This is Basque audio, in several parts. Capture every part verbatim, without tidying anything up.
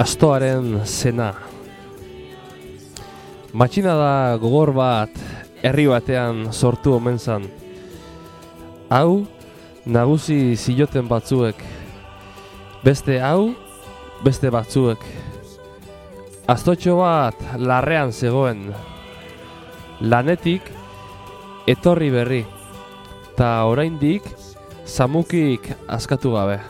Astoaren zena. Matxinada gogor bat herri batean sortu omen zan. Hau nagusi ziloten batzuek, beste hau beste batzuek. Astotxo bat larrean zegoen, lanetik etorri berri, ta oraindik zamukik askatu gabe.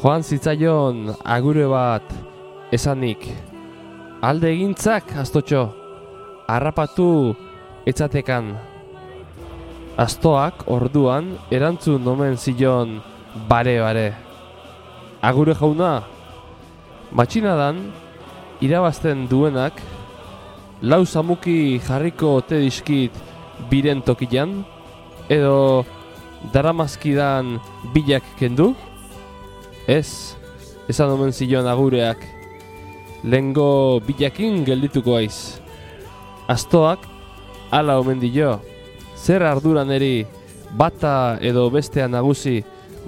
Joan zitzaion agure bat esanik, alde egintzak astotxo, harrapatu etzatekan. Astoak orduan erantzun omen zion bare-bare. Agure jauna, matxinadan irabazten duenak, lau zamuki jarriko ote dizkit biren tokian, edo daramazkidan bilak kendu? Ez, esan omen zion agureak, lehengo bilakin geldituko aiz. Astoak hala omen dio, zer arduran eri bata edo bestea nagusi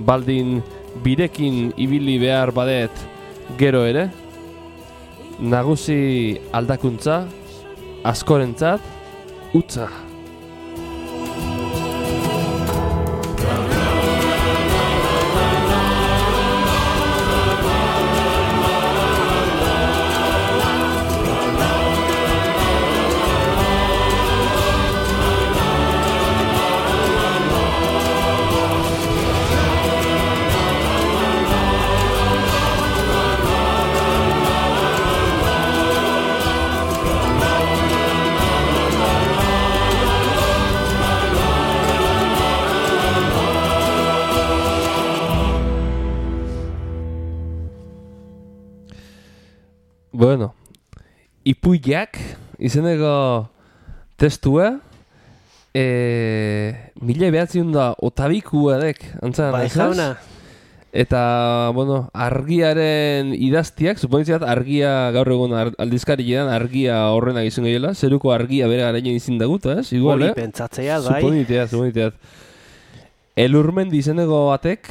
baldin birekin ibili behar badet gero ere? Nagusi aldakuntza, askorentzat, utza. Bueno, ipuiak izeneko testua, e, mila behatziun da otabiku edek, antzan, bai jauna. Eta, bueno, argiaren idaztiak, suponiziat argia gaur egun aldizkari edan argia horrenak izan gehiela, zeruko argia bere garainen izin daguta, ez? Igual, Hori eh? pentsatzea, bai. Suponiteat, suponiteat. Elurmendi izeneko batek,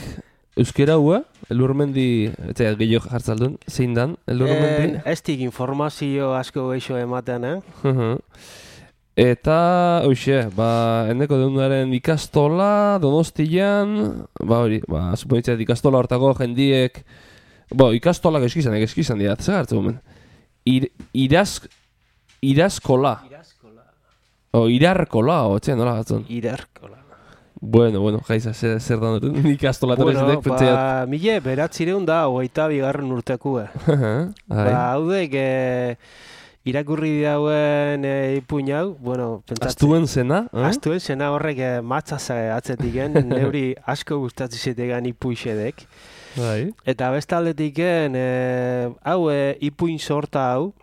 euskera hua, elurmendi, etxeat gehiago jartzaldun, zein dan, elurmendi? Eh, ez dik informazio asko geixo ematen, eh? Uh-huh. Eta, hoxe, ba, eneko deundaren ikastola, Donostian, ba hori, ba, suponitzeat ikastola hortako jendiek, bo, ikastolak eskizanek, eskizan dira, zer hartzen gomen? Ir, iraz, irazkola. Irazkola. O, irarkola, o, etxean, nola batzen? Irarkola. Bueno, bueno, jaiza, zer, zer da dut, ikastola eta bueno, bezetek, pentseiat. ba, mile beratzireun da, hogeita bigarren urtekue. Ba, haudek, e, irakurri dauen e, ipuin hau, bueno, pentsatzen. Astuen zena? Eh? Astuen zena horrek e, matzaz atzetiken, neuri asko gustatzen zitegan ipuixedek. Bai. Eta bestaldetiken, e, hau e, ipuin sorta hau,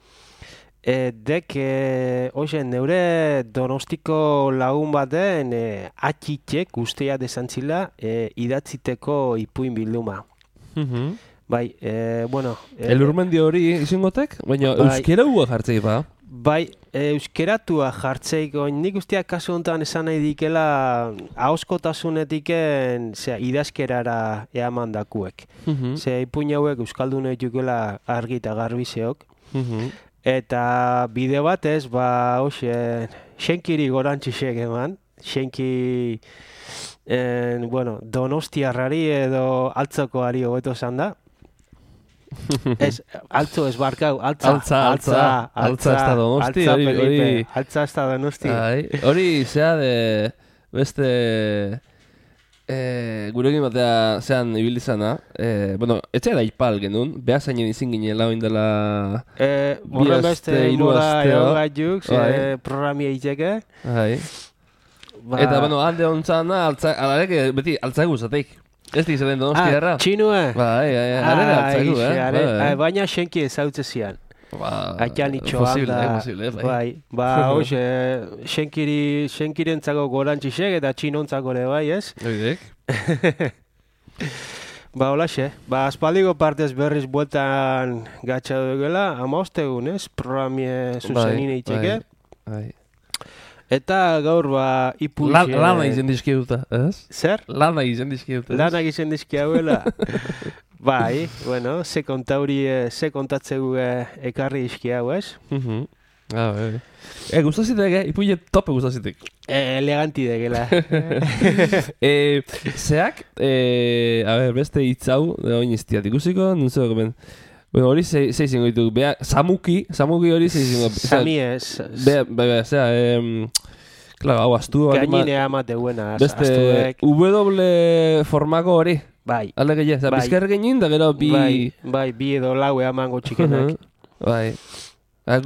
E, dek, e, ozen, neure Donostiko lagun baten e, atxitek ustea desantzila e, idatziteko ipuin bilduma. Uh-huh. Bai, e, bueno... E, Elurmendi hori izingotek? Baina bai, euskera hua jartzei ba? Bai, e, euskeratua jartzeik, nik usteak kasu honetan esan nahi dikela ahoskotasunetiken zera, idazkerara eaman dakuek. Uh-huh. Zera, ipuin hauek euskaldun egitukela argi eta garbizeok. Uh-huh. Eta bide batez, ba, hoxe, xenkiri gorantxisek eman, xenki, en, bueno, donostiarrari edo altzokoari hobeto esan da. Ez, altzo ez barkau, altza, altza, altza, altza ez da donosti, altza, hori, hori, altza ez da donosti. Hori, zea de, beste, e, gurekin batea zean ibilizana, e, bueno, etxea da ipal genuen, behar zainen izin ginela oindela e, horren beste mora egon gaituk, e, programia itxeke. Hai. Ba... Eta, bueno, alde hontzana, alarek beti altzagu zateik. Ez di zelen donosti erra? Ah, txinue? Bai, arere altzagu, eh? Baina xenki ezautze zian. Ba, Aitan itxoan da, posible, bai. bai, ba, hoxe, xenkiri, xenkirentzako gorantxisek eta txinontzako ere bai, ez? Oidek. Ba, holaxe, ba, aspaldiko partez berriz bueltan gatsa dugela, amaostegun, ez? Programie zuzenine itxeke. Bai, bai. Eta gaur, ba, ipuxe... La, lana izen dizkiuta, ez? Zer? Lana izen dizkiuta, ez? Lana izen dizkiauela. Bai, bueno, ze kontauri, ze kontatzegu ekarri iski hau, ez? Mhm. Ah, bai. Eh, gustazitek, eh? Ipuile tope gustazitek. Eh, eleganti degela. eh, zeak, eh, a ver, beste hitz hau, da oin iztiat ikusiko, nuntzeko gomen. Bueno, hori zei zingo dituk, beha, Samuki, Samuki hori zei zingo. Sami ez. Beha, beha, beha, zera, em, claro, hau, astu. Gainenea amate buena, beste, astuek. W formako hori. Bai. Alde gehiago, zera, Bai. bizkar genin, da gero bi... Bai, bai, bi edo lau eamango txikenak. Bai.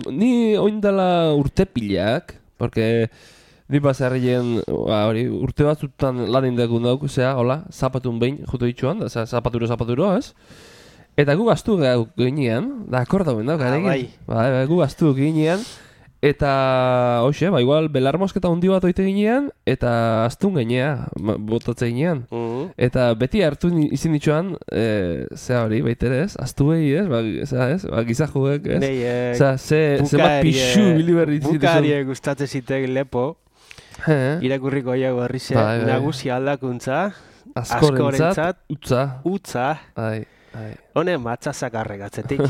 Ni oindala urte pilak, porque ni pasarrien, hori, urte batzutan lan indakun dauk, zera, hola, zapatun behin, juto ditxuan, da, zapaturo, zapaturo, ez? Eta gu gaztu ginean, da akordauen dauk, ah, bai. Bai, bai, gu gaztu ginean, eta, hoxe, ba, igual, belar mosketa hundi bat oite ginean, eta astun ginea, botatze ginean. Mm. Eta beti hartu izin ditxuan, e, zera hori, baitere ez, astu behi ez, ba, zera ez, ba, gizajuek ez. Nei, eh, zera, ze, ze bat pixu biliberri zituzun. Bukarie gustatzen zitek lepo, He, irakurriko jau berrize, bai, bai. nagusi aldakuntza, askorentzat, utza. utza, Ai, ai. honen matzazak arregatzetik,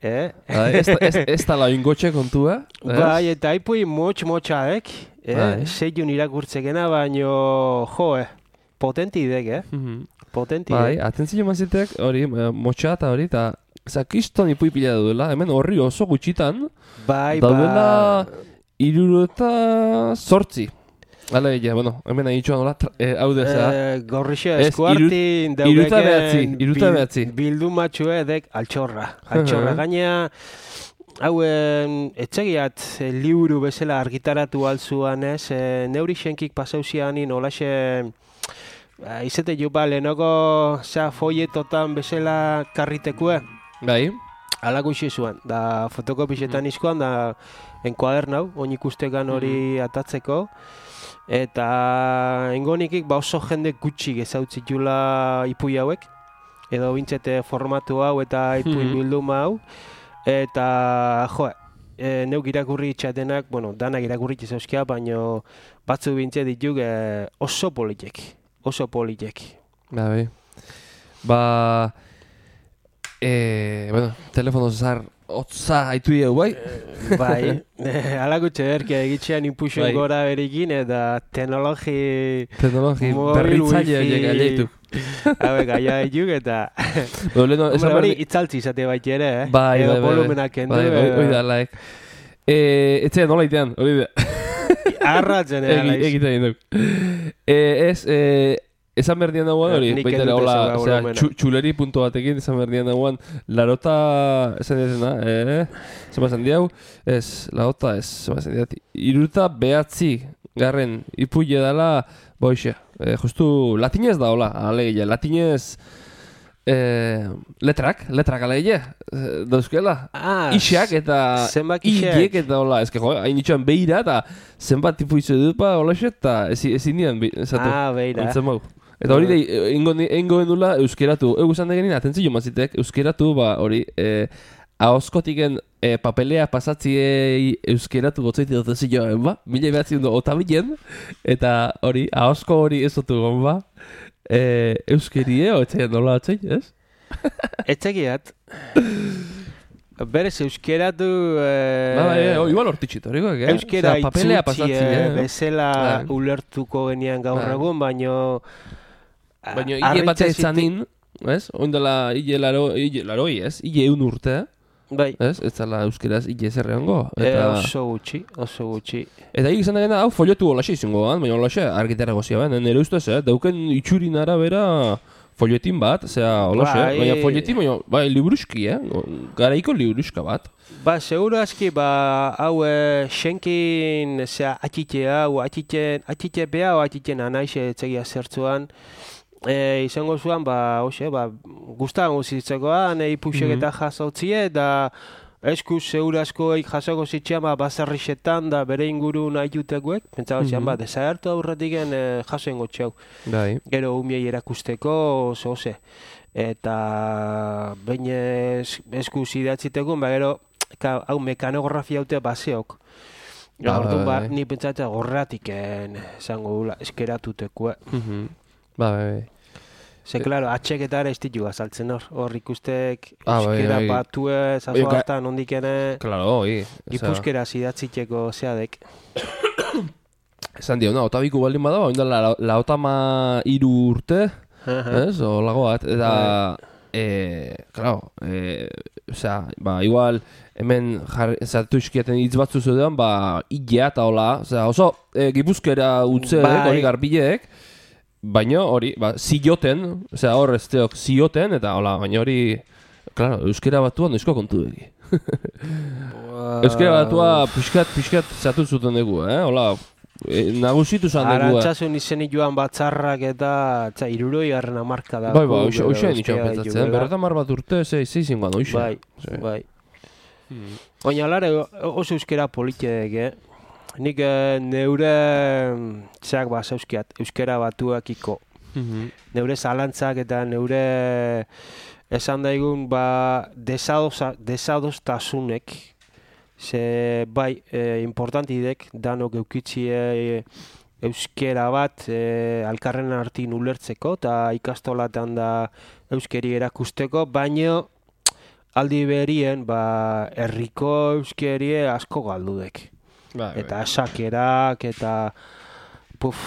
eh? Bai, ez, ez, ez tala ingotxe kontua. ez? Bai, eta aipui motx-motxaek, eh? Bai. Seiun irakurtzekena, baino, jo, eh? Potenti idek, eh? Mhm. Potenti Bai, idek. atentzio mazitek, hori, eh, motxa eta hori, eta zakiston ipui pila duela, hemen horri oso gutxitan, Bai, daudela ba... iruro eta sortzi. Hala egia, bueno, hemen nahi itxuan hola, eh, hau dezea. Eh, gorrixe Ez, eskuartin iru- iruta behatzi, daukeken iruta behatzi. bildumatxue edek altxorra. Altxorra gaina, hauen etxegiat eh, liburu bezala argitaratu altzuan ez, eh, neuri xenkik pasauzianin olaxe eh, izete jupa lehenoko za folletotan bezala karritekue. Bai. Alako isi zuen, da fotokopixetan izkoan, da enkuadernau, oin ikustekan hori atatzeko. Eta engonikik ba oso jende gutxi gezautzit jula ipui hauek, edo bintzete formatu hau eta ipui Mhm. bilduma hau. Eta, jo, e, neuk irakurri itxatenak, bueno, danak irakurri itxauzkia, baino batzu bintze dituk e, oso politek, oso politek. Ba, bai. Ba, eh, bueno, telefono zar, otza haitu diegu, bai? Bai, alako txederkia egitxean inpuxon Bai. gora berikin, eta teknologi... Teknologi mobil, berritzaile wifi, horiek gaitu. Hauek gaia dituk, eta... Bueno, leheno, Hombre, esan hori berdi... itzaltzi izate bait ere, eh? Bai, Edo bai, bai. volumenak kendu, Bai, bai, hori da, laek. Eh, etxea nola itean, hori da. arratzen ere, Egi- laiz. Egiten duk. Eh, ez, eh, esan berdian dagoan hori, Nik baitera, ez dut hola, esan osea, volumena. txu, txuleri punto batekin esan berdian dagoan, larota, esan dizena, eh, zema esan diau, ez, larota, ez, zema esan diat, iruta behatzi, garren, ipuile dala, boixe, eh, justu, latinez da, hola, alegia, latinez, eh, letrak, letrak alegia, eh, dauzkela, Ah, Ixak eta zenbak ixak. ilek eta hola, eske jo, hain itxoan behira eta zenbat tipu izu dut pa hola eta ezi- ezin dian bi- esatu. Ah, beira. Ontzen mau. Eta hori dei, ingo genula euskeratu. Egu zan degenin, atentzio mazitek, euskeratu, ba, hori, eh, ahoskotiken eh, papelea pasatziei euskeratu gotzaiti dut zioen, ba? Mila behatzi dugu otabilen, eta hori, ahosko hori ez dutu gon, ba? Eh, euskerie, otxean nola otxein, ez? Etxegiat. Berez euskeratu... Eh, Ba, bai, bai, igual hortitxit, horikoak, eh? Euskera Osea, papelea itzutzi pasatzi, eh, eh? bezala Bai. ulertuko genian gaur Bai. egun, baino... Baina hile bat etzanin, ez? Oindela hile laro, hile laroi, ez? Hile eun urte, Bai, ez? Ez zala euskeraz hile zerreango. eh, Eta, oso gutxi, oso gutxi. eta hik izan dena, hau foliotu holaxe izango gan, baina holaxe argitara gozia ben, nire ustez, eh? Dauken itxurin arabera folietin bat, zera holaxe, Bai. baina folietin, baina, bai, liburuski, eh? Garaiko liburuska bat. Ba, seguro aski, ba, hau e, xenkin, zera, atxite hau, atxiten, atxite beha, o atxiten anaixe etxegia zertzuan, e, izango zuan, ba, hoxe, ba, guztan guzitzekoan, e, ipuxek eta jasotzie, da, eskuz seguro askoik jasoko zitxean, ba, bazarrixetan, da, bere inguru nahi jutekoek, pentsago zian, ba, desagertu aurretiken e, jasoen gotxeau. Bai. Gero umiei erakusteko, oso, ose. Eta, bain ez, eskuz idatziteko, ba, gero, ka, hau mekanografia haute baseok. Ba, Ja, orduan, ba, bai. ni pentsatzen gorratiken, esango dula, eskeratuteko. Mhm. Ba, bai, bai. Ze, klaro, atxek eta ere ez ditu azaltzen hor. Hor ikustek Ah, bai, euskera bai. batue, Oie, zazo ga- hartan ondikene, Claro, oi. ipuzkera zidatziteko zeadek. Esan dio, na, otabiku baldin bada, oin da la, laotama iru urte, ez, o lago bat, eta, eh, claro, eh, osea, ba, igual, hemen zartu iskiaten hitz batzu zeuden, ba, ilea eta hola, osea, oso eh, gipuzkera utze, Bai. hori garbileek, baina hori, ba, zioten, osea, hor ez teok zioten, eta hola, baina hori, claro, euskera batuan noizko kontu dugi. Euskera batua pixkat, pixkat zatu zuten dugu, eh, hola, e, nagusitu zan dugu, eh. Arantzasun izenik joan batzarrak eta, tza, iruroi garren amarka da. Bai, bai, oixe, oixe nitxan pentsatzen, berreta mar bat urte, zei, zeizin guan, oixe. Bai, bai. Hmm. Oina, alare, oso euskera politiek, eh? Nik eh, neure zeak ba zauzkiat, euskera batuakiko. Neure zalantzak eta neure esan daigun ba desadosa, desadostasunek, ze bai, e, importantidek danok eukitzie euskera bat e, alkarren artin ulertzeko eta ikastolatan da euskeri erakusteko, baino aldi berien ba herriko euskerie asko galdudek. Bai, Eta esakerak eta puf,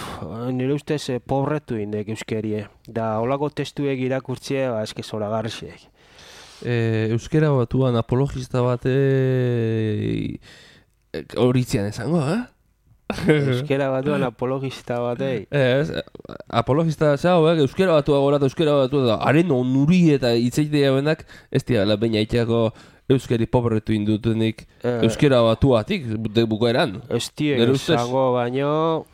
nire ustez eh, pobretu indek euskerie. Da holako testuek irakurtzie, ba eske zoragarriek. E, euskera batuan apologista bate horitzean esango, eh? Euskera batuan apologista batei. Ez, apologista zau, eh? Euskera batua gorata, euskera batua da, haren onuri eta hitzeitea benak, ez dira, baina itxako euskeri pobretu indutenik Eh. euskera batuatik, de bukaeran. Ez tiek Nire ustez. esango baino...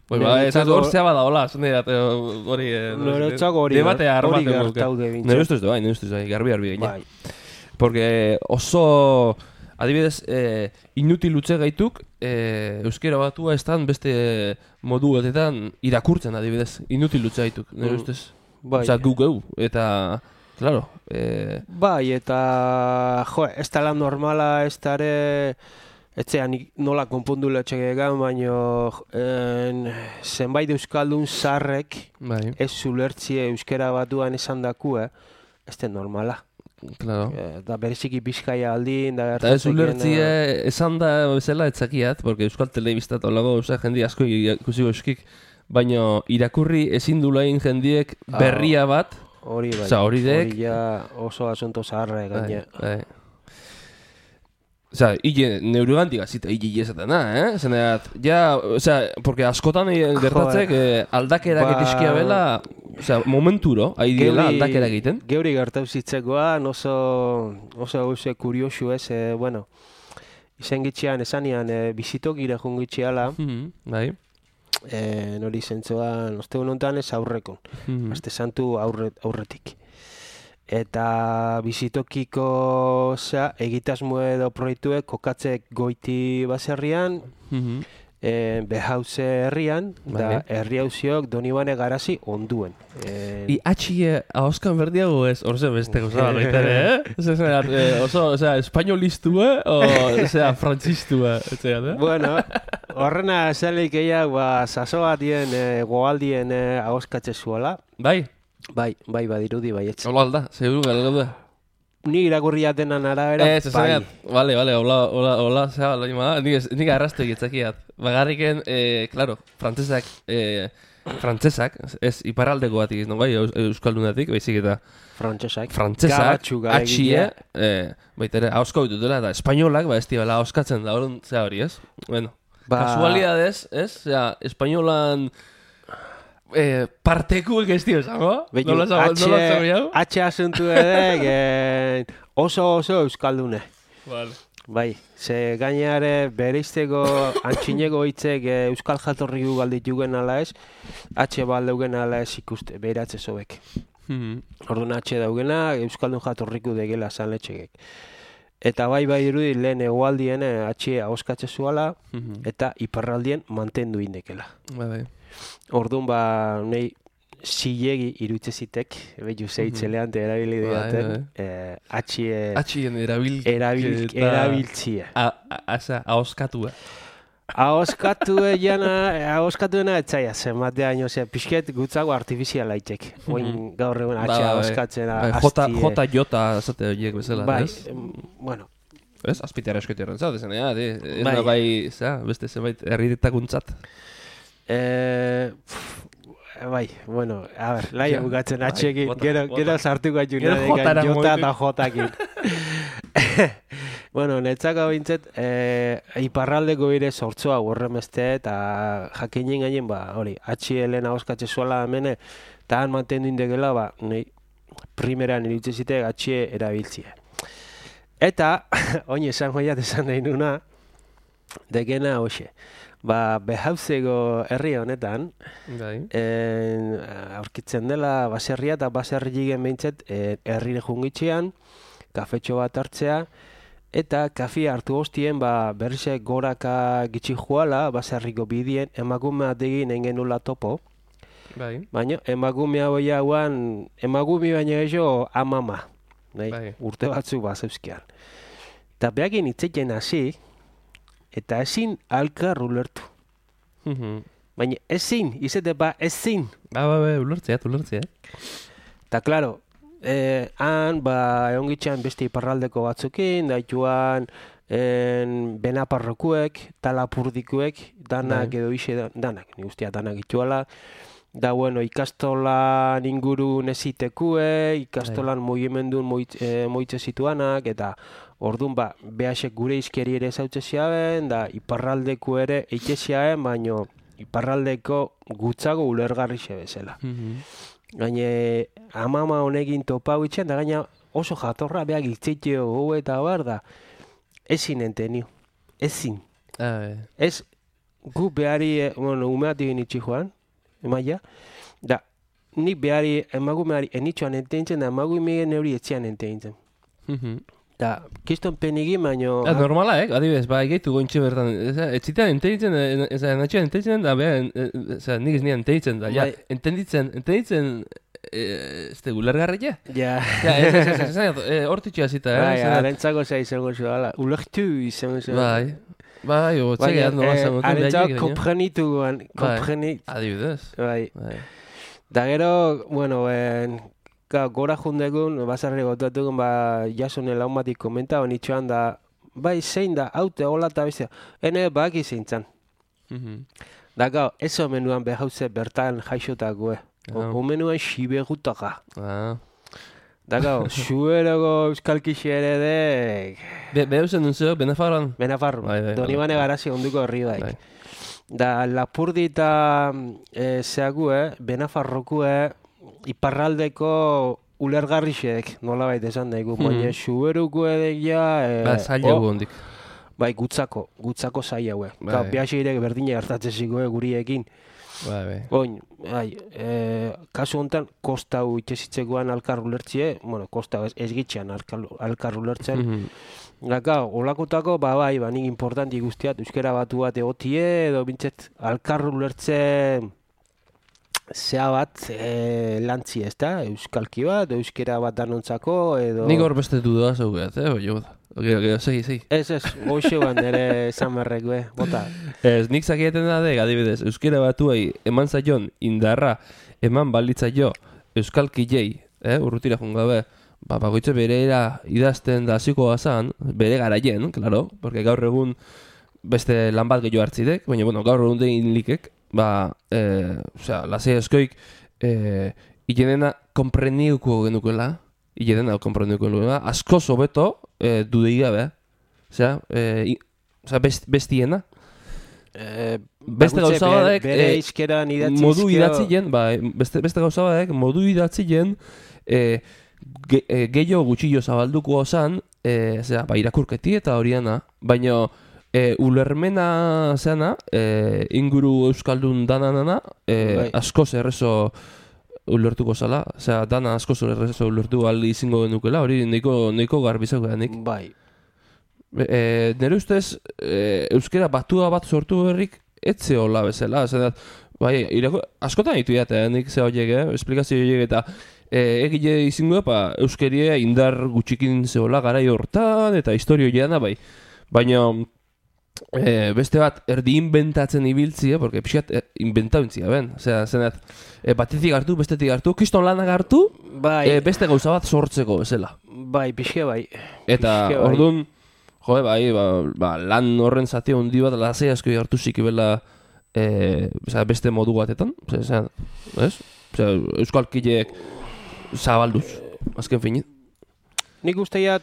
Bai, ba, ez ez Niretzako- hor zea bada hola, zene dat, hori... eh, Niretzako hori debatea ger- hori armaten gertaude bintzat. Nire ustez da, bai, nire ustez bai, garbi garbi gaina. Bai. Porque oso, adibidez, eh, inutil utze gaituk, eh, euskera batua estan beste modu batetan irakurtzen adibidez, inutil utze gaituk, nire Mm. ustez. Bai. Osea, gu geu, eta, claro, eh, Bai, eta jo, ez da lan normala, ez da ere etxean nola konpondu letxegegan, baino en, zenbait euskaldun zarrek bai, ez zulertzie euskera batuan esan dakue, ez da normala. claro. Eta bereziki Bizkaia aldin, da Eta ez gertatzen ulertzie dena- esan da bezala etzakiat, porque euskal telebistat olago, osea, jende asko ikusi eskik, baino irakurri ezin dulain jendiek Ah. berria bat, Hori bai, Osea, hori dek- hori ja oso asunto zaharra bai, gaina. bai. Osea, hile neurogantik azita hile esatena, eh? Zeneat, ja, osea, porque askotan eh, gertatzek eh, aldakerak Ba- etizkia bela, osea, momenturo, ari diela Geuri- aldakera egiten. Geuri gertau zitzekoan oso, oso oso kuriosu ez, eh, bueno, izen gitxean esanian eh, bizitokire jungitxeala, Mhm, bai. eh, nori zentzuan, ostegun honetan ez aurrekon, Mhm. aste santu aurre, aurretik. Eta bizitokiko zea, egitasmo edo proiektuek kokatzek goiti baserrian, Mhm. e, behauze herrian, da Vale. herri hauziok Donibane Garazi onduen. E, I atxie ahoskan berdiago ez, orze beste gozaba baita ere, eh? Ose, zeat, eh, oso, osea, espainolistue, o, osea, frantzistue, etxeat, eh? bueno, horrena zelik eiak, ba, saso batien, e, goaldien e, ahoskatze zuela. Bai, Bai, bai, badirudi, bai, etz. hola alda, seguru gara gaude. Ni irakurria denan arabera, Ez, ez bai. zeat, bale, bale, hola, hola, hola, zea, hola, ima, nik, ez- nik arrastu egitzakiat. Bagarriken, eh, claro, frantzesak, eh, frantzesak, ez iparraldeko batik ez, no bai, eus- euskaldunatik, baizik eta Frantsesak. frantzesak, Gabatxu gara atxie, egitea. eh, baita ere, ahosko ditutela, eta espainolak, ba, ez dira, ahoskatzen da, orduan, zea hori, ez? Bueno, Ba- kasualidades, ez? Zea, espainolan eh, partekuek ez dio, zango? Beitu, Nola zango, nola zango jau? H asuntu edek, eh, oso oso euskaldune. Vale. Bai, ze gainare bereizteko antxineko hitzek e, euskal jatorriku galditugen ala ez, H baldeugen ala ez ikuste, behiratze zobek. Mhm. Orduan H daugena, euskaldun jatorriku degela sanletxegek. Eta bai bai dirudi lehen egualdien eh, H ahoskatze zuala, Mhm. eta iparraldien mantendu indekela. Bai, bai. Orduan ba, nei zilegi irutze zitek, behitu zeitzelean te erabili Bai, diaten, eh, H Atxien erabil... erabil, eta- erabiltzia. A, a, asa, ahoskatua. Ahoskatu jana, ahoskatuena etzaia zen, batea ino, ze, pixket gutzago artifiziala aitek. Oin gaur egun atxe ahoskatzen, J, J, J, zate horiek bezala, bai, ez? bueno. Ez, azpitara eskoitearen zat, esan, ja, ez da bai, za, beste zenbait herritakuntzat. Eh, bai, bueno, a ver, laia bukatzen atxekin, gero, gero sartuko atxuna jota eta jotakin. Bueno, netzako bintzet, eh, iparraldeko bire sortzoa horremeste eta jakinen gainen, ba, hori, atxi helena oskatze zuela hemene, eta han mantendu indegela, ba, nahi, primeran iritze zite atxie erabiltzia. Eta, oin esan joiat esan nahi nuna, dekena hoxe, ba, behauzeko herri honetan, en, aurkitzen dela baserria eta baserri jigen behintzet herrire jungitxean, kafetxo bat hartzea, eta kafia hartu hostien ba, berrize goraka gitxi joala, baserriko bidien, emakume ategin engenula topo, bai. Baina emakume hau jauan, emakume baina gehiago amama, nahi, bai. urte batzuk bazeuzkian. Eta behakin itzeken hasi, eta ezin alkar ulertu. Baina ezin, izate ba ezin. Ba, ba, ba, ulertzeat, ulertzeat. Eta, klaro, eh, han, ba, egon gitxan beste iparraldeko batzukin, daituan, en, benaparrokuek, talapurdikuek, danak edo ise, danak, ni guztia danak ituala, da, bueno, ikastolan inguru nezitekue, ikastolan mugimendun moitze, eh, moitze zituanak, eta orduan, ba, behasek gure izkeri ere zautze ziaben, da, iparraldeko ere eike ziaben, baino, iparraldeko gutzago ulergarri bezala. Gaine, amama honekin topau itxen, da gaina oso jatorra behak itzeitio gu eta bar da, ezin entenio, ezin. Ez, gu behari, bueno, umeatik nitsi joan, emaia, da, nik behari, emagumeari enitxoan enteintzen, da emagumearen hori etzian enteintzen. Da, kiston penigin, baino... Da, normala, eh? Adibidez, ba, egeitu gointxe bertan. Etzitan enteitzen, enatxean enteitzen, da, beha, nik ez nian enteitzen, da, ja, entenditzen, entenditzen, ez te gulergarria? Ja. Ja, ez, ez, ez, ez, ez, hortitxea zita, eh? Bai, arentzako zai izango zu, ala, ulertu izango zu. Bai, bai, o, txegeat, nola zango. Arentzako komprenitu guan, komprenit. Adibidez. Bai. Da gero, bueno, en... Ka, gora jundegun, bazarri gotatukun, ba, jasone laun batik komenta, honitxoan da, bai, zein da, haute, hola eta bestia, ene, baki zein zan. Da, gau, ez omenuan behauze bertan jaixotakoe. Omenuan xiberutaka. Da, gau, zueroko euskalkixe ere dek... Behauzen duen zeo, Benafarroan? Benafarro, Donibane garazi onduko herri daik. Da, Lapurdi eta zeague, Benafarrokue, iparraldeko ulergarrixek, nola baita esan daigu, baina suberuko edek ja... Ba, zaila gu hondik. Bai, gutzako, gutzako zaila hue. Gau, bihaxeirek berdine hartatzeziko guriekin. Bai, bai. Oin, bai, kasu honetan, kosta hu itxezitzekoan alkar ulertzie, bueno, kosta ez gitxean alkar ulertzen. Gaka, olakotako, ba, bai, ba, nik importanti guztiat, euskera batu bat egotie, edo bintzet, alkar ulertzen... Zea bat e, lantzi ez da, euskalki bat, euskera bat danontzako, edo... Nik hor beste dudoa zaukeat, eh, oio da. Oke, oke, segi, segi. Ez, ez, goxe ban ere zamarrek, be, bota. Ez, nik zakieten da dek, adibidez, euskera batuei eman zaion indarra, eman balitza jo, euskalki jei, eh, urrutira jungabe, ba, bagoitze bereera idazten da ziko gazan, bere garaien, klaro, porque gaur egun beste lan bat gehiago hartzidek, baina, bueno, gaur egun dein likek, ba, eh, osea, lasei eskoik, eh, ilenena kompreniuko genukela, ilenena kompreniuko genukela, asko sobeto, eh, dudei gabe, osea, eh, osea, best, bestiena. Eh, beste gauza badek, bere izkeran idatzizkeo... modu idatzien, ba, beste, beste gauza badek, modu idatzien, eh, ge, eh, gehiago gutxillo zabalduko osan, eh, osea, ba, irakurketi eta horiana, baina... E, ulermena zeana, e, inguru euskaldun dananana, e, askoz errezo ulertuko zala, osea, dana askoz errezo ulertu aldi izingo genukela, hori neiko, neiko garbizako denik. Bai. E, nire ustez, e, euskera batua bat sortu berrik, etze hola bezala, zena, bai, irako, askotan ditu jate, nik ze horiek, eh, esplikazio horiek eta e, egile izingo, pa, euskeria indar gutxikin zehola garai hortan, eta historio jana, bai, baina... e, beste bat erdi inventatzen ibiltzia, porque pixat e, inventauintzia, ben. Osea, zenat, e, batetik hartu, bestetik hartu, kriston lanak hartu, Bai, e, beste gauza bat sortzeko, bezala. bai, pixke bai. Eta, Pixke bai. orduan, jo, bai, ba, ba, lan horren zati handi bat, lasai asko hartu zikibela e, beste modu batetan, osea, ez? Osea, euskalkileek zabalduz, azken finin. Nik usteiat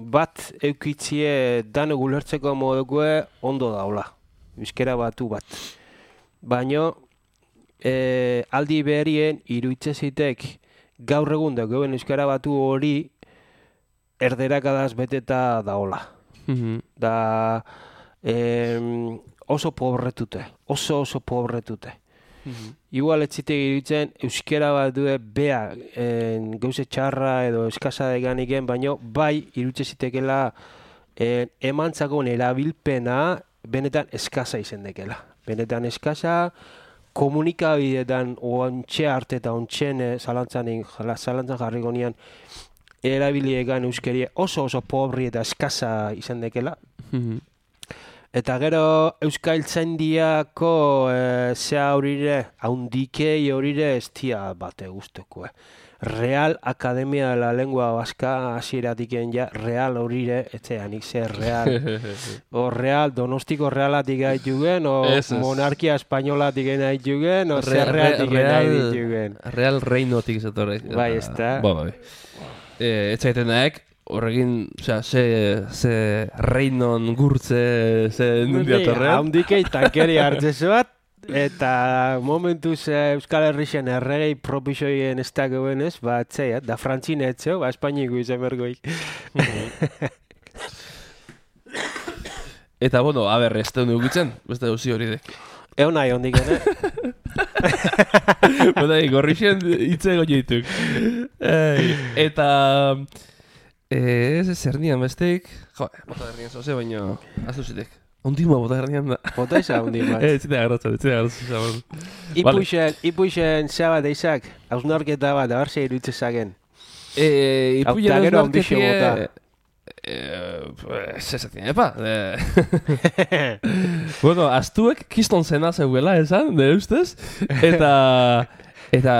bat eukitzie dano gulertzeko modukoe ondo daula. Euskera batu bat. Baina e, aldi beherien iruitzezitek gaur egun dagoen euskara batu hori erderakadaz beteta daola. Mhm. Da em, oso pobretute, oso oso pobretute. Igual ez zitek iruditzen euskera bat due bea en, gauze txarra edo eskasa deganiken, baino bai irutze zitekela en, emantzakon erabilpena benetan eskasa izen dekela. Benetan eskasa, komunikabidetan ontxe arte eta ontxen zalantzan, zalantzan jarriko nian erabiliegan euskerie oso oso pobri eta eskasa izen dekela. Eta gero euskaltzaindiako e, zea horire, haundikei horire estia bate guztoko. Eh. Real Academia de la Lengua Vasca hasieratik ja, real horire, etxean ze real. O real, donostiko realatik gaitugen, o es, es. monarkia espainolatik gaitugen, o zer Re- realtik real, gaitugen. real reinotik zatorre. Bai, ezta. Ba, bai. E, ez zaiten daek, horrekin, osea, ze, ze reinon gurtze, ze nundia torrean. Haundikei tankeri hartzezu bat, eta momentuz eh, Euskal Herrixen erregei propisoien ez dagoen ez, ba, etzea, da frantzine etzeo, ba, Espainiko izan bergoik. Eta, bueno, a ber, ez teun dugutzen, beste gauzi hori dek. Egon nahi hondik, ere? Bota, gorrixen hitze goieituk. Eta... Eh, ez zer nian bestek, jo, bota hernian zoze, baina aztu zitek. Ondima bota hernian da. Bota izan ondima. Eh, zitea agarratzen, zitea agarratzen. Ipuixen, ipuixen zea bat eizak, hausnarketa bat, abar ze iruditze zagen. Eh, ipuien Hauta gero hausnarketie... handixe bota. Eh, pues, ez ezin, epa. Eh. Bueno, astuek kiston zena zeuela, esan, de ustez. Eta... Eta,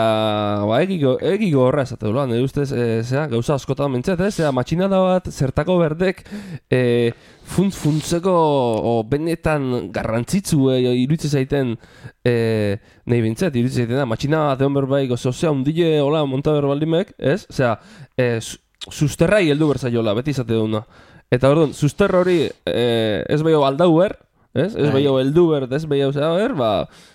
ba, egiko, egiko horra esateula, nire ustez, e, zera, gauza askotan mentzat, ez? Zera, matxinada bat, zertako berdek, e, funtz-funtzeko, o benetan garrantzitzu, e, iruditzen zaiten, e, nahi bintzat, iruditzen zaiten, da, matxinada bat egon berbaik, oso, zera, undile, hola, monta berbaldimek, ez? Zera, e, susterrai heldu berzaiola, beti izate duna. Eta, orduan, susterra hori, e, ez behio aldauer, ez? Ez behio heldu berd, ez behio zera ber, ba,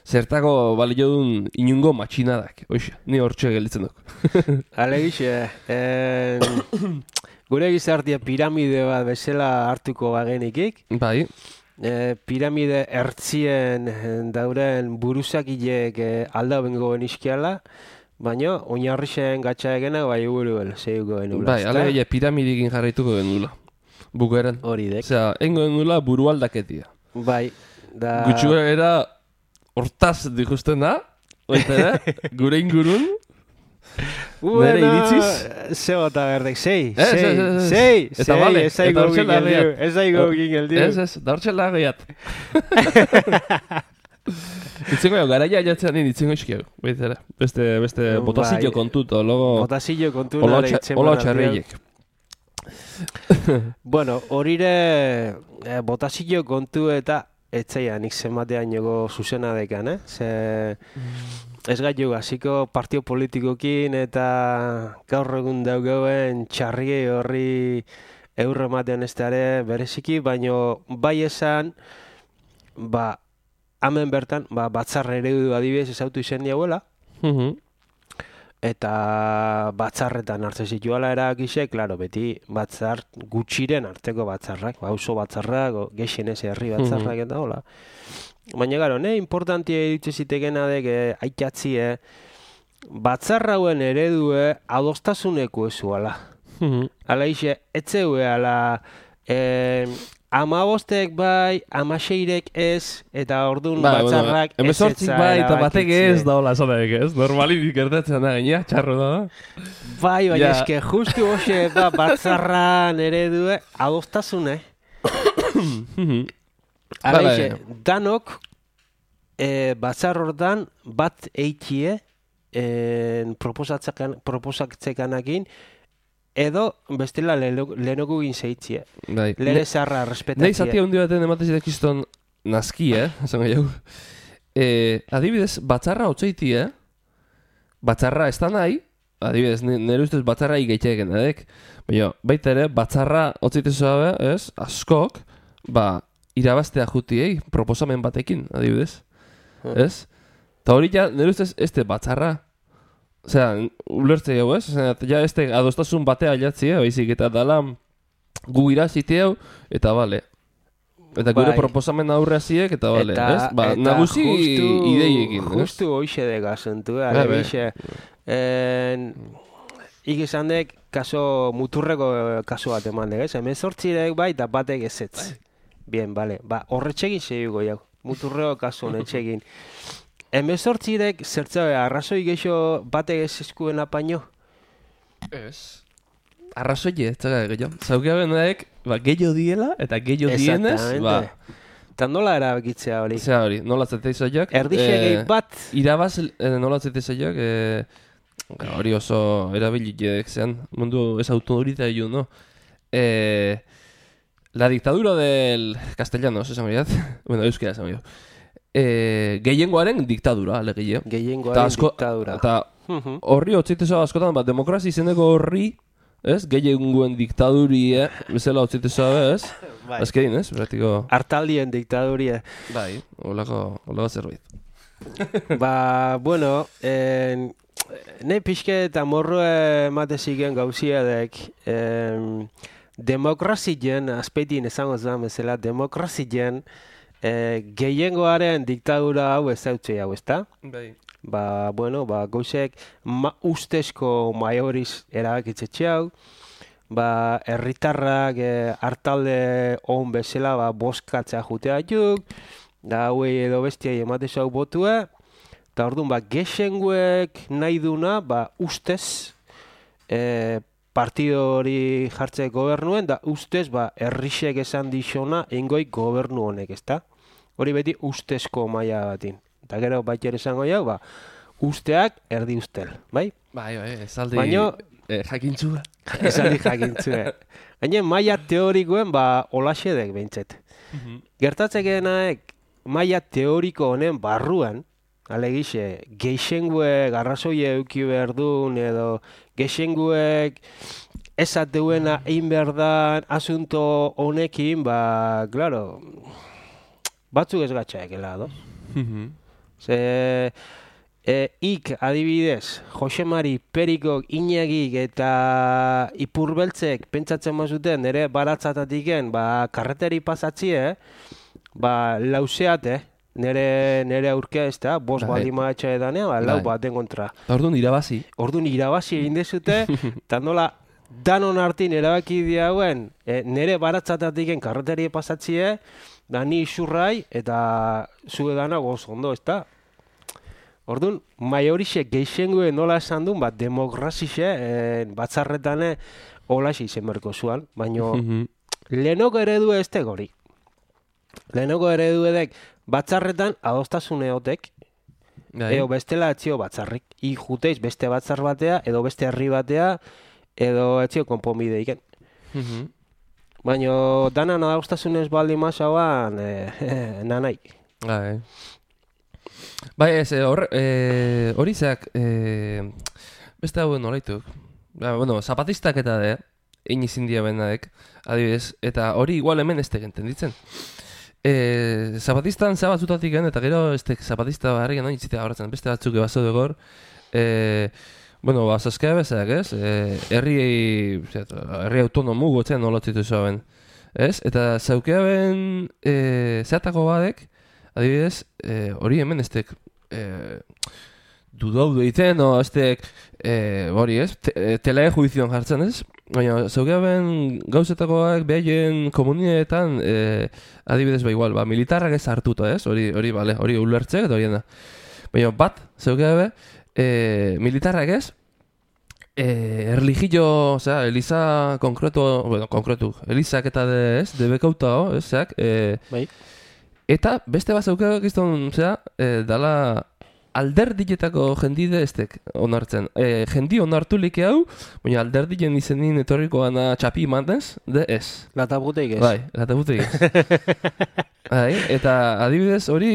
zertako balio duen inungo matxinadak. Oixe, ni hortxe gelditzen duk. Alegixe, eh, gure gizartia piramide bat bezala hartuko bagenikik. Bai. Eh, piramide ertzien dauren buruzakilek eh, alda bengo benizkiala, baina oinarrixen gatsa egena bai buruel, zeuko genula. Bai, alegia piramidikin jarraituko genula. Bukaeran. Hori dek. Osea, engo genula burualdaketia. Bai, da... Gutxu era hortaz dikusten da, oita da, gure ingurun, nire iritziz. Ze bota berdek, sei, Ez, sei, ez, ez, ez. sei, Eta sei, bale, ez aigo eta hortxe gingeldiu, lageat. ez aigo gingeldiu. Ez, ez, da hortxe lageat. Itzengo jau, garaia jatzean nien itzengo iskiago, baitera. Beste, beste Bai. botazillo kontut, logo... Botazillo kontu Ola nare otxa- itzen ola banan otxarreiek. Bueno, horire eh, botazillo kontu eta etzeia nik zenbatean jogo zuzena dekan, eh? Ze ez gaitu hasiko partio politikokin eta gaur egun daugauen txarriei horri eurro ematen ez dara bereziki, baino bai esan, ba, hemen bertan, ba, batzar eredu adibidez ezautu izen diagoela, eta batzarretan hartzen zituela erakise, klaro, beti batzar gutxiren arteko batzarrak, ba, auzo batzarrak, o, gehien ez herri batzarrak eta hola. Baina, garo, ne, importantia ditze zitekena dek, eh, aitatzie, batzarrauen eredue adostasuneko ezuala. Ala ise, etzeue, ala, eh, amabostek bai, amaseirek ez, eta orduan Ba, batzarrak bueno, emezortzik bai, eta batek ez da hola zonaek ez, normalik gertatzen da gaina, txarro da. Bai, baina Ja. eske justu hoxe da batzarran eredue adostasune. Hala ixe, danok e, batzar hortan bat eitie proposatzekanakin edo bestela lehenoko egin zeitzie. Bai. Lehen zarra respetatzea. Nei zati handi baten ematezidek izton nazki, eh? Esan jau. Eh, adibidez, batzarra otzeiti, eh? Batzarra ez da nahi, adibidez, nire ustez batzarra igaitxeken, edek? Baina, baita ere, batzarra otzeitezoa, ez? Askok, ba, irabaztea jutiei, proposamen batekin, adibidez. Ez? Ta hori ja, nire ustez, este batzarra. Osea, ulertze jau, ez? Osea, ja, este adostasun batea jatzi, eh? Baizik, eta dala gu irazite hau, eta bale. Eta gure Bai. proposamen aurreaziek, eta bale, Eta, ez? Ba, eta nagusi justu, ideiekin, ez? Justu hoxe de gazuntu, Bai, ale, bai. bixe. En, ik izan dek, kaso, muturreko kaso bat eman dek, ez? Hemen sortzirek bai, eta batek ezetz. Bien, bale. Ba, horretxegin zehugo jau. Muturreko kaso honetxegin. Hemen sortzirek, zertzabe, arrazoi geixo batek ez eskuen apaino? Ez. Arrazoie, ez zaga gehiago. Zaukia bendaek, ba, gehiago diela, eta gehiago dienez, ba... Eta nola erabakitzea hori? Zea hori, nola zeteizoiak... Erdixegei bat... Irabaz, eh, nola zeteizoiak, eh, hori oso erabiliek zean, mundu ez autoritario, no? Eh, la dictadura del castellano, esan horiat, bueno, euskera esan horiat. Eh, gehiengoaren diktadura, alegia. Gehiengoaren diktadura. Eta horri otzitezoa askotan, bat, demokrazi izeneko horri, ez? Gehiengoen diktadurie, bezala otzitezoa, ez? Bai. Azkerin, ez? Beratiko... Hartaldien diktaduria. Bai, holako, holako zerbait. Ba, bueno, en, ne pixke eta morro emate zigen gauziadek, em, demokrazien, azpeitin esango zan bezala, demokrazien eh, gehiengoaren diktadura hau ez dautze hau, ezta? Bai. Ba, bueno, ba, goizek ma, ustezko maioriz erabakitzetxe hau, ba, herritarrak eh, hartalde on bezala ba, boskatzea jutea juk, da hauei edo bestiai ematez hau botua, eta orduan, ba, gexenguek nahi duna, ba, ustez, eh, partido hori jartze gobernuen, da ustez, ba, herrixek esan dixona ingoi gobernu honek, ezta? Hori beti ustezko maila batin. Eta gero baita ere esango jau, ba, usteak erdi ustel, bai? Bai, bai, esaldi Baino, eh, jakintzua. esaldi jakintzue. Gaine maila teorikoen, ba, olaxedek behintzet. Gertatzekenaek maila teoriko honen barruan, alegixe, geixengue garrazoie euki behar duen, edo geixenguek esateuena egin behar dan asunto honekin, ba, claro, batzuk ez gatxaekela, do? Ze, e, ik adibidez, Jose Mari, Perikok, Iñagik eta Ipurbeltzek pentsatzen mazuten nire baratzatatiken, ba, karreteri pasatzie, ba, lauseate, nire, nire aurkea ez da, bos Bai. baldin maatxa edanea, ba, lau Bai. baten kontra. Eta orduan irabazi. Orduan irabazi egin dezute, eta nola danon hartin erabaki diauen, e, nire baratzatatiken karreteri pasatzie, da ni isurrai eta zu edana goz ondo, ez da? Orduan, maiorixe geixengue nola esan duen, bat demokrazixe, e, batzarretane holaxe izen berko zuan, baina lehenoko eredu ez hori. Lehenoko eredu edek batzarretan adostasun eotek, Bai. eo bestela etzio batzarrik. I juteiz beste batzar batea, edo beste herri batea, edo etzio konponbide iken. Baina dana adostasunez baldi mazauan, e, e, nanai. Bai. Bai, ez, eh, hor, eh, hori zeak, eh, beste hauen nolaituk. Ba, bueno, zapatistak eta de, egin izin dia bendaek, adibidez, eta hori igual hemen ez tegenten ditzen. Eh, zapatistan zea batzutatik gen, eta gero ez tek zapatista barrian nahi itzitea horretzen, beste batzuk ebazo dugor, eh, bueno, ba, zazkea bezak, ez? Eh, herri, zet, herri autonomu gotzen nolotzitu zoaben, ez? Eta zaukea ben eh, zeatako badek, adibidez, eh, hori hemen ez tek eh, dudau deiten, o ez tek, eh, hori ez, te, eh, telae juizioan jartzen, ez? Baina, zaukea ben gauzetakoak behaien komunietan, eh, adibidez, ba igual, ba, militarrak ez hartuta, ez? Hori, hori, bale, hori ulertzek eta horiena. Baina, bat, zaukea be, eh, militarrak ez, eh, erligio, osea, eliza konkretu, bueno, konkretu, elizak eta de, ez, de bekauta, ez, zeak, eh, Bai. Eta beste bat zaukak izan, zera, e, dala alderdietako jendide estek onartzen. E, jendi onartu like hau, baina alderdien izenin etorriko gana txapi mantez, de ez. Latabuteik ez. Bai, latabuteik ez. Bai, eta adibidez hori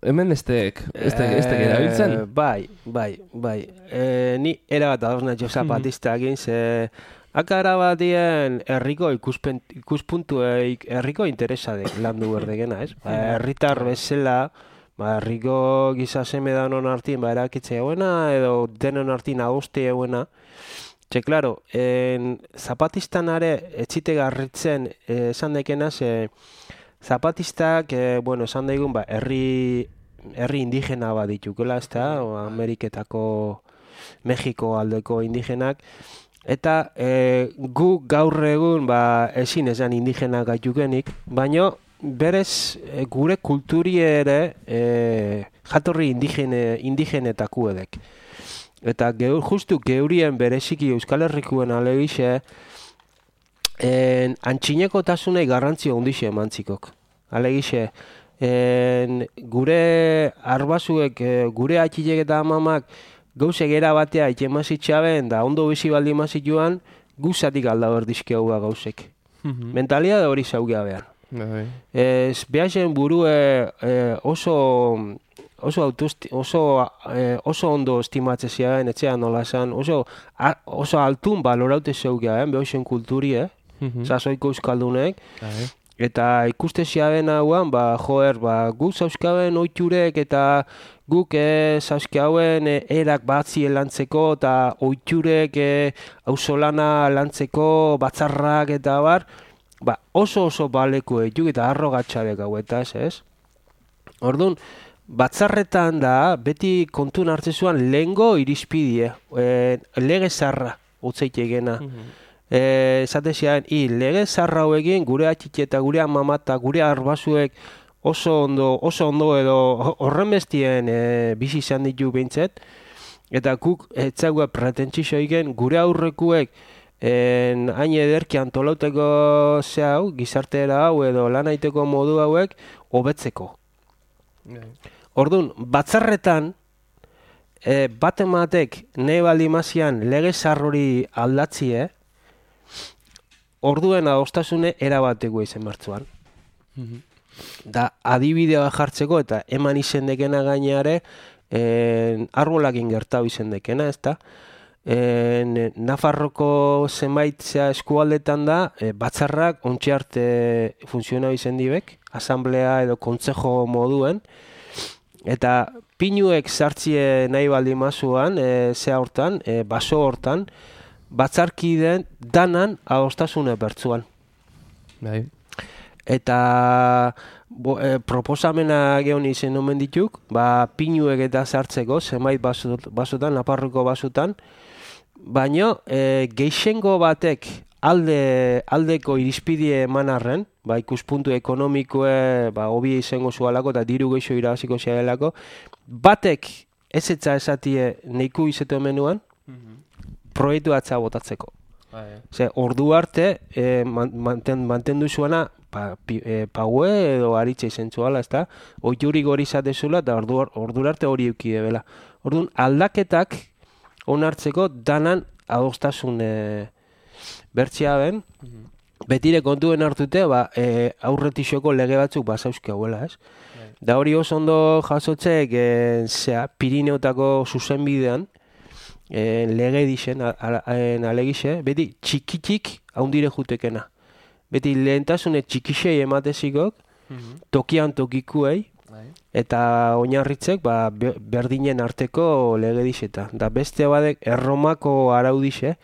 hemen estek, estek, estek erabiltzen. Eh, Bai, bai, bai. Eh, ni erabat ados natxo zapatista egin, ze akara batien herriko ikuspen, ikuspuntueik herriko interesadek landu berdegena, ez? Ba, herritar bezala, ba, herriko giza seme danon artin, ba, erakitze eguena, edo denon artin agoste eguena. Txe, klaro, en, zapatistan are, etxite garritzen eh, esan dekena, ze zapatistak, eh, bueno, esan daigun, ba, herri, herri indigena bat ditukela, ez da, Ameriketako, Mexiko aldeko indigenak, eta e, gu gaur egun ba, ezin esan indigena gaitukenik, baina berez e, gure kulturi ere e, jatorri indigene, indigenetako edek. Eta geur, justu geurien bereziki Euskal Herrikuen alegixe en, antxineko tasunei garrantzio ondixe emantzikok. Alegixe, en, gure arbasuek, gure atxilek eta amamak gauze gera batea itxemazitxaben da ondo bizi baldi mazituan guzatik alda berdizke hau gauzek. Mm-hmm. Mentalia da hori zaugea behar. Bai. Ez behazen burue eh, oso oso autosti, oso eh, oso ondo estimatze ziren etxean nola esan, oso a, oso altun baloraute zaugea, eh, behazen kulturi, eh? Mm-hmm. Zazoiko euskaldunek. Bai. Eta ikuste ziaren hauan, ba, joer, ba, guk zauzkaben oiturek eta guk e, zauzkauen e, erak batzi lantzeko eta oiturek e, auzolana lantzeko batzarrak eta bar, ba, oso oso baleku etuk eta arrogatxarek hauetaz, ez? Orduan, batzarretan da, beti kontun hartzezuan lehengo irizpidie, e, lege zarra, utzeitegena. Mm-hmm. Esate zian, i, lege zarra hauekin gure atxitxe eta gure amama eta gure arbasuek oso ondo, oso ondo edo horren bestien e, bizi izan ditu behintzet, eta guk etzagoa pretentsizoiken gure aurrekuek en, hain ederki antolauteko ze hau, gizartera hau edo lan aiteko modu hauek hobetzeko. Orduan, batzarretan e, bat ematek nahi baldi mazian lege zarrori aldatzie, orduen adostasune erabateko izen martzuan. Mm-hmm. Da adibidea jartzeko eta eman izendekena gaineare en, arbolakin gertau izendekena, ez da? En, Nafarroko zenbait zea eskualdetan da, e, batzarrak ontsi arte funtzionau izendibek, asamblea edo kontzejo moduen, eta pinuek sartzie nahi baldi mazuan, e, zea hortan, e, baso hortan, batzarkideen danan adostasune bertzuan. Bai. Eta bo, e, proposamena geon izen omen dituk, ba, pinuek eta sartzeko, zenbait basotan, Nafarroko basotan, baina e, geixengo batek alde, aldeko irizpidie emanarren, ba, ikuspuntu ekonomikoe, ba, hobi izango zualako eta diru geixo irabaziko zialako, batek ez etza esatie neiku izetu menuan, mm-hmm. proiektu atza botatzeko. Ah, yeah. Ze, ordu arte e, manten, mantendu zuena pa, pi, e, paue edo aritxe izen zuala, ez da? Oituri gori zatezula eta ordu, ordu arte hori eukide bela. Orduan, aldaketak onartzeko danan adostasun e, bertxea ben, mm-hmm. betire kontuen hartute, ba, e, aurretixoko lege batzuk basauzke hauela, ez? Yeah. Da hori oso ondo jasotzek, e, zea, Pirineotako zuzenbidean, En, lege dixen, alegixe, beti txikitik haundire jutekena. Beti lehentasune txikixei ematezikok, mm-hmm. tokian tokikuei, Ai. Eta oinarritzek ba, berdinen arteko lege dixeta. Da beste badek erromako araudixe,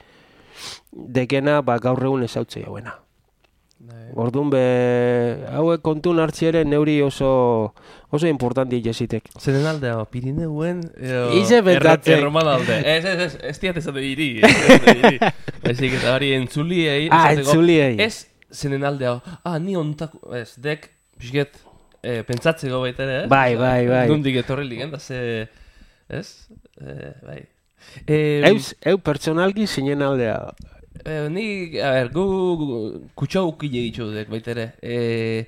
dekena ba, gaur egun ezautzei hauena. Orduan be, hauek kontun hartziere neuri oso oso importanti jezitek. Zeren aldea, Pirineuen Ize betatzen. Erroman alde. Ez, ez, ez, ez diat ezate diri. Ezik eta hori entzuliei. Ah, entzuliei. Ez, zenen aldea, ah, ni ontako, ez, dek, pixket, eh, pentsatzeko baitere, ez? Bai, bai, bai. Nundik etorri ligen, da ze, ez? Eh, bai. Eh, Eus, eu pertsonalki zinen aldea. Eh, ni, a ber, gu kutxau ukile ditu dek baitere. Eh,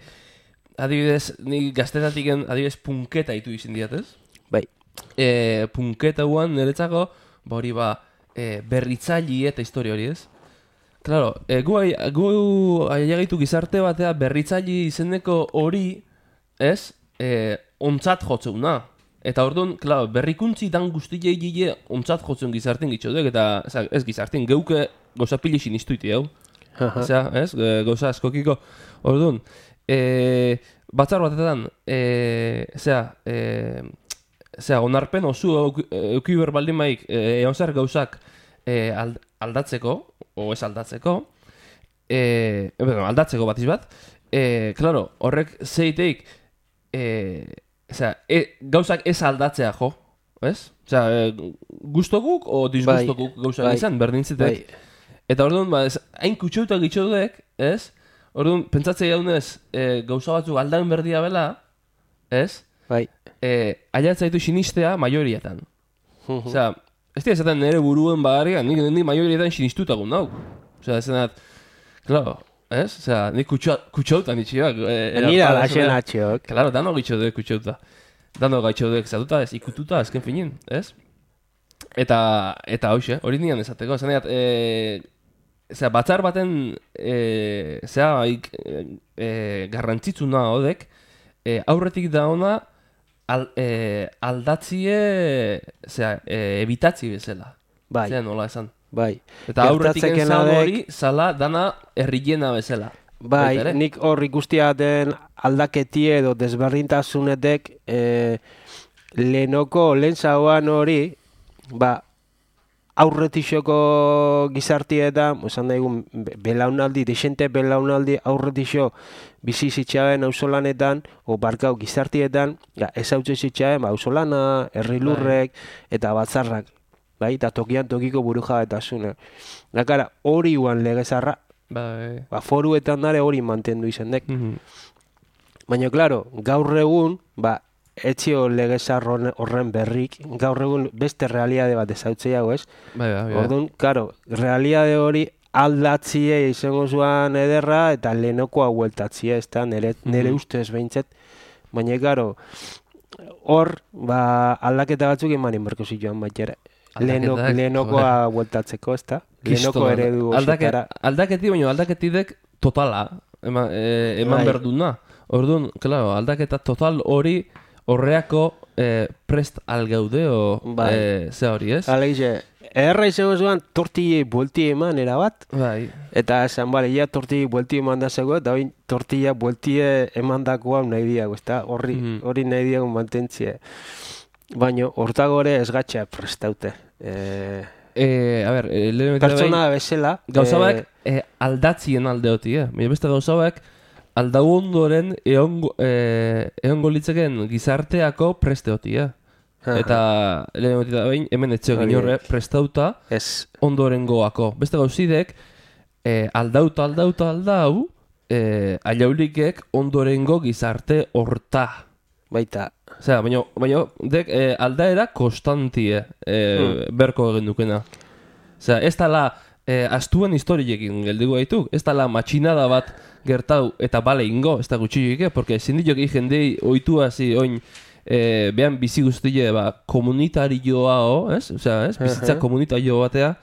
adibidez, ni gaztetatiken adibidez punketa itu izin diat, ez? Bai. E, punketa guan niretzako, ba hori ba, e, berritzaili eta historia hori, ez? Claro, e, gu, gu aiagitu gizarte batea berritzaili izeneko hori, ez? E, ontzat jotzeuna. Eta orduan, claro, berrikuntzi dan guztiei gile ontzat jotzen gizarten gitxodek, eta oza, ez gizarten, geuke gauza pili sinistuiti, hau? Osea, ez? Gauza askokiko. Orduan, e, batzar batetan, e, zera, e, zera, onarpen osu eukiber baldin maik, e, egon zer gauzak e, aldatzeko, o ez aldatzeko, e, bueno, aldatzeko batiz bat, e, claro, horrek zeiteik, e, zera, e, gauzak ez aldatzea jo, ez? Zera, e, gustokuk o disgustokuk bai, gauzak bai, izan, berdintzitek. Bai. Eta orduan, ba, ez, hain kutseuta gitxodek, ez? Orduan, pentsatzea jaunez, e, gauza batzuk aldain berdia bela, ez? Bai. E, aiatzaitu sinistea maiorietan. Osea, ez dira esaten nire buruen bagarrian, nik, nik maiorietan sinistutagun nau. Osea, ez zenat, claro, ez? Osea, nik kutsauta nitxioak. E, Nira laxen atxiok. Claro, dano gitxodek kutsauta. Dano gaitxodek zatuta, ez ikututa, ezken finin, ez? Eta, eta hoxe, hori nian esateko, zeneat, e, zera, batzar baten e, zera, e, e, garrantzitsuna hodek, e, aurretik da ona al, e, aldatzie zera, e, ebitatzi bezala. Bai. Zera nola esan. Bai. Eta aurretik enzan hori zala dana herriena bezala. Bai, Baitere? Nik hor ikustia den aldaketi edo desberdintasunetek e, lehenoko lehen zauan hori, ba, aurretixoko gizartietan, esan daigun, belaunaldi, desente belaunaldi aurretixo bizi zitxaben auzolanetan, o barkau gizartietan, ja, ez hautze zitxaben, ba, auzolana, herrilurrek, eta batzarrak, bai, eta tokian tokiko buru jabetasuna. Dakara, hori guan legezarra, bai. Ba, foruetan dare hori mantendu izendek. Mm-hmm. Baina, klaro, gaur egun, ba, etxio legezar horren berrik, gaur egun beste realiade bat ezautzeiago, ez? Bai, bai, bai. Orduan, karo, realiade hori aldatzie izango zuan ederra eta lehenokoa hueltatzie, ez da, nire, nire mm-hmm. ustez behintzet. Baina, karo, hor, ba, aldaketa batzuk imanin berko zituan bat jere. Lehenokoa hueltatzeko, ez da? Lehenoko eredu osetara. Aldaketi, baina aldaketidek totala, eman, e, eman bai. Berduna. Orduan, claro, aldaketa total hori horreako eh, prest algeude o bai. eh, ze hori, ez? Aleize, erra izango zuan tortillei buelti eman erabat. Bai. Eta esan, bale, ja tortillei buelti eman da zego, eta hori tortilla buelti eman dakoa nahi diago, ez da? Horri mm-hmm. hori nahi diago mantentzie. Baina, hortagore ez gatxa prestaute. Eh, eh, a ber, eh, pertsona bezala. Gauzabak eh, eh, aldatzien aldeoti, eh? Baina beste gauzabak aldau ondoren eongo, eh, eongo litzeken gizarteako presteoti, eh? Eta lehen da behin, hemen etxeo ginorre prestauta ez. Ondoren goako. Beste gauzidek, eh, aldauta, aldauta, aldau, eh, aiaulikek ondorengo gizarte horta. Baita. Osea, baina, baina dek, eh, aldaera konstantie eh, hmm. berko egin dukena. Osea, ez tala eh, astuen historiekin geldigu gaitu, ez tala matxinada bat gertau eta bale ingo, ez da gutxilloik, porque zindiok jendei oitu hazi oin eh, behan bizi guztile ba, komunitarioa, ez? Osea, ez? Bizitza komunitarioa batea,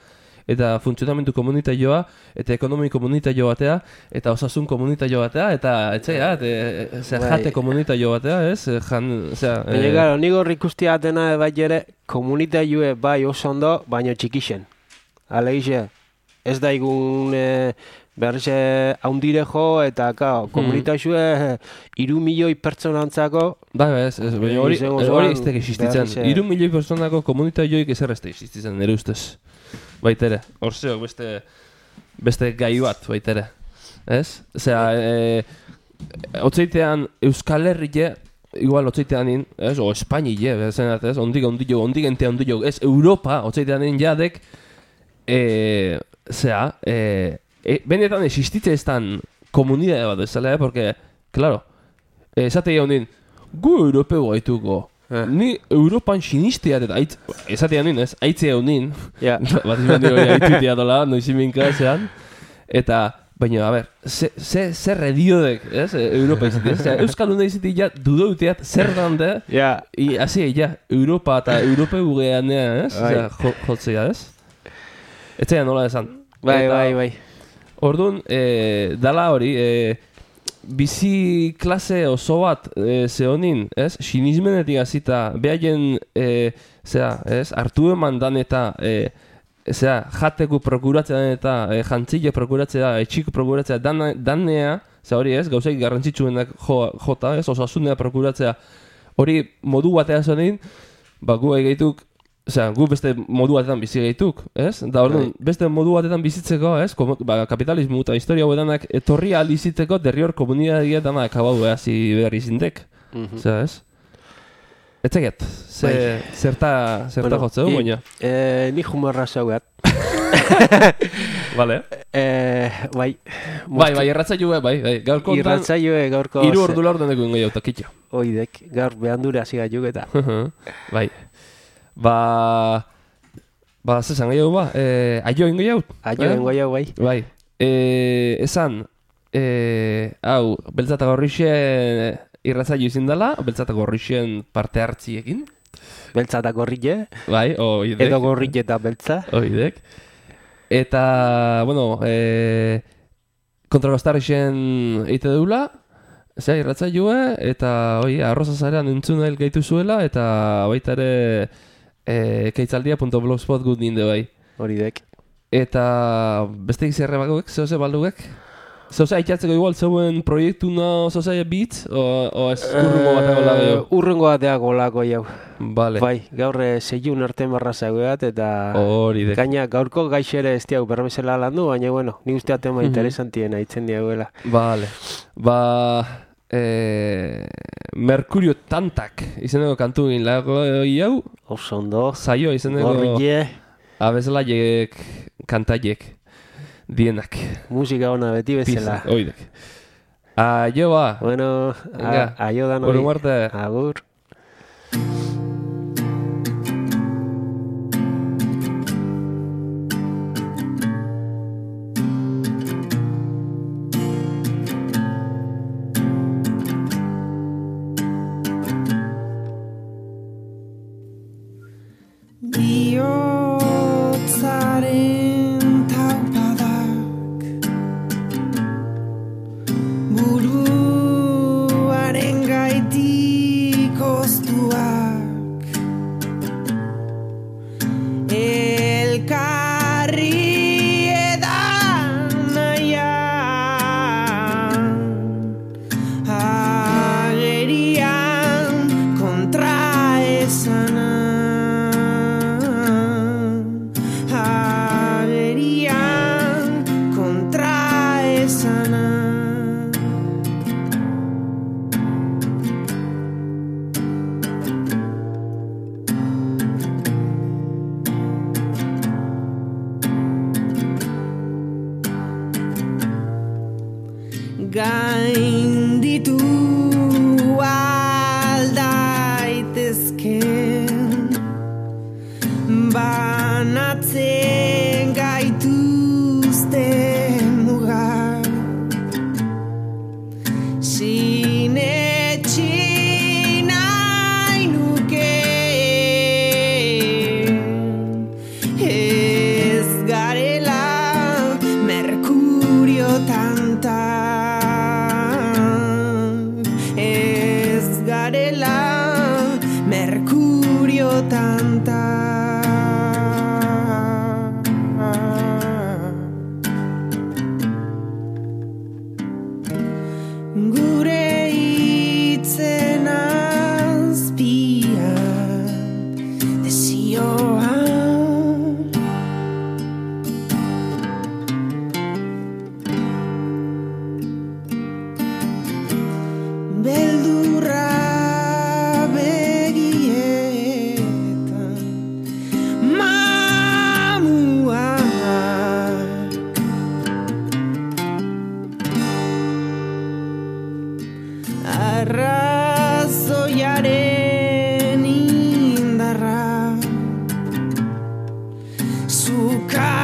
eta funtzionamentu komunitarioa, eta ekonomi komunitarioa batea, eta osasun komunitarioa batea, eta etxea, eta zer jate komunitario batea, ez? Jan, zera... Baina, gara, nik horrik uste atena bai ere, komunitarioe bai oso ondo, baina txikixen. Aleixe, ez da igun e, berriz haundire jo, eta kao, komunitarioe iru milioi pertsonantzako... Bai, ez, ez, baina hori ez tek existitzen. Iru milioi pertsonako komunitarioik ezer ez tek existitzen, nire ustez. Baitere, orzeok beste, beste gai bat, baitere. Ez? Osea, e, otzeitean Euskal Herrie, igual otzeitean in, ez? O Espainile, zenat, ez? Ondik, ondillo, ondik ente ondillo, ez? Europa, otzeitean in jadek, e, zera, e, e, benetan existitze ez tan komunidade bat ezala, eh? Porque, claro, esate egon din, gu europeo gaituko. Eh. Ni Europan sinisteat eta aitz, esatean nien, ez? Aitzea honin. Ja. Bat izan dira hori aitzutea dola, noiziminka zean. Eta Baina, a ber, ze, ze, zer ediodek, ez, Europa izitik, ez? Euskalduna izitik ja dudouteat zer dande, ja, i, hasi, ja, Europa eta Europa gugean, ez? Osea, jo, jotzea, ez? Ez zaila nola esan. bai, bai, bai. Orduan, e, dala hori, e, bizi klase oso bat e, zehonin, ez? Sinismenetik hasita, behaien, e, zera, ez? Artu eman dan eta, e, zera, jateku prokuratzea eta e, jantzile prokuratzea, etxiko prokuratzea, dan, danea, zera hori ez, gauzaik garrantzitsuenak jo, jota, ez? Osasunea prokuratzea, hori modu batea zehonin, ba, gu egeituk, osea, gu beste modu batetan bizi gaituk, ez? Da orduan, beste modu batetan bizitzeko, ez? Komo, ba, kapitalismo eta historia hauetanak etorri alizitzeko derrior komunitatea dana akabau hasi behar izindek. Osea, ez? Ez zeget, ze, zerta, zerta bueno, jotzeu, baina? E, ni humorra zaugat. Vale. E, bai. Bai, bai, irratzailue, bai, bai. Gaurko ontan, irratzailue gaurko... Iru ordu laur deneko ingo jau, takitxo. Oidek, gaur behandura hasi gaituk eta. Bai. Ba... Ba, zezan gehiago ba, e, aio ingo jau? Aio ingo jau, bai. Bai. E, esan, e, hau, beltzata gorrixen irratzaio izin dela, beltzata gorrixen parte hartziekin. Beltzata gorrile. Bai, oidek. Edo gorrile eta beltza. Oidek. Eta, bueno, e, kontrabastarrixen eite deula, zera irratzaioa, eta, oi, arroza zarean entzun nahi gaitu zuela, eta baita ere... E, keitzaldia punto blogspot gut ninde bai. Hori dek. Eta beste izerre bagoek, zehose balduek? Zehose aitzatzeko igual zeuen proiektu no zehose bitz? O, o ez urrungo bateako lago jau? Urrungo bateako lago jau. Vale. Bai, gaur zeiun arte marra zaueat eta... Hori dek. Gaina gaurko gaixere ez diago bermezela landu, baina bueno, ni ustea tema mm-hmm. interesantien haitzen diagoela. Vale. Ba... Eh, Mercurio Tantak izeneko kantu egin lago jau. Oso ondo. Zaio izeneko Gorrie. Abeslaiek kantaiek dienak. Musika ona beti bezala. Oidek. Aio ba. Bueno, a, aio da noi. Oro muerte. Agur. Gainditu aldaitezken banatzen gaituzte mugak sinetxi nahi nuke ez garela Mercurio tanta Mercurio tanta gure hitzen azpian desioan beldurra arrazoiaren indarra zuka